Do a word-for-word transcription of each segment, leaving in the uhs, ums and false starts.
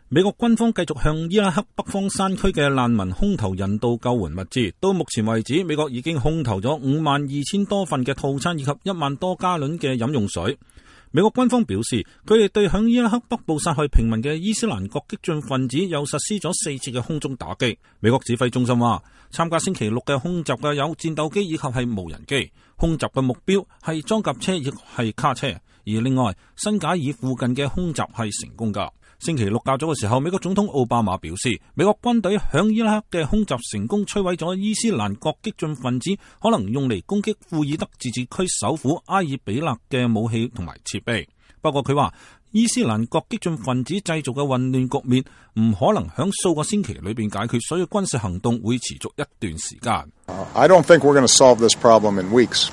美國軍方繼續向伊拉克北方山區嘅難民空投人道救援物資。到目前為止，美國已經空投咗五萬二千多份嘅套餐以及一萬多加侖嘅飲用水。美國軍方表示，佢哋對響伊拉克北部殺害平民嘅伊斯蘭國激進分子又實施咗四次嘅空中打擊。美國指揮中心話，參加星期六嘅空襲嘅有戰鬥機以及係無人機，空襲嘅目標係裝甲車亦係卡車。而另外，新賈爾附近嘅空襲係成功㗎。星期六較早嘅時候，美國總統奧巴馬表示，美國軍隊響伊拉克嘅空襲成功摧毀咗伊斯蘭國激進分子可能用嚟攻擊庫爾德自治區首府埃爾比勒嘅武器同埋設備。不過佢話，伊斯蘭國激進分子製造嘅混亂局面唔可能響數個星期裏邊解決，所以軍事行動會持續一段時間。I don't think we're going to solve this problem in weeks.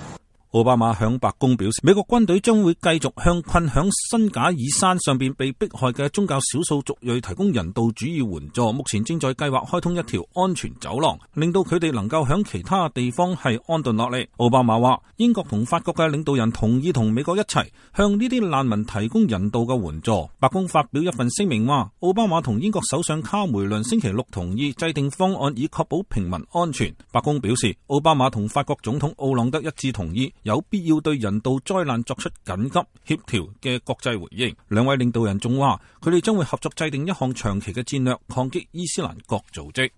奧巴馬向白宮表示，美國軍隊將會繼續向困響新賈爾山上邊被迫害嘅宗教少數族裔提供人道主義援助。目前正在計劃開通一條安全走廊，令到佢哋能夠響其他地方係安頓落嚟。奧巴馬話，英國同法國嘅領導人同意同美國一齊向呢啲難民提供人道嘅援助。白宮發表一份聲明話，奧巴馬同英國首相卡梅倫星期六同意制定方案以確保平民安全。白宮表示，奧巴馬同法國總統奧朗德一致同意有必要對人道災難作出緊急協調嘅國際回應。兩位領導人仲話，佢哋將會合作制定一項長期嘅戰略，抗擊伊斯蘭國組織。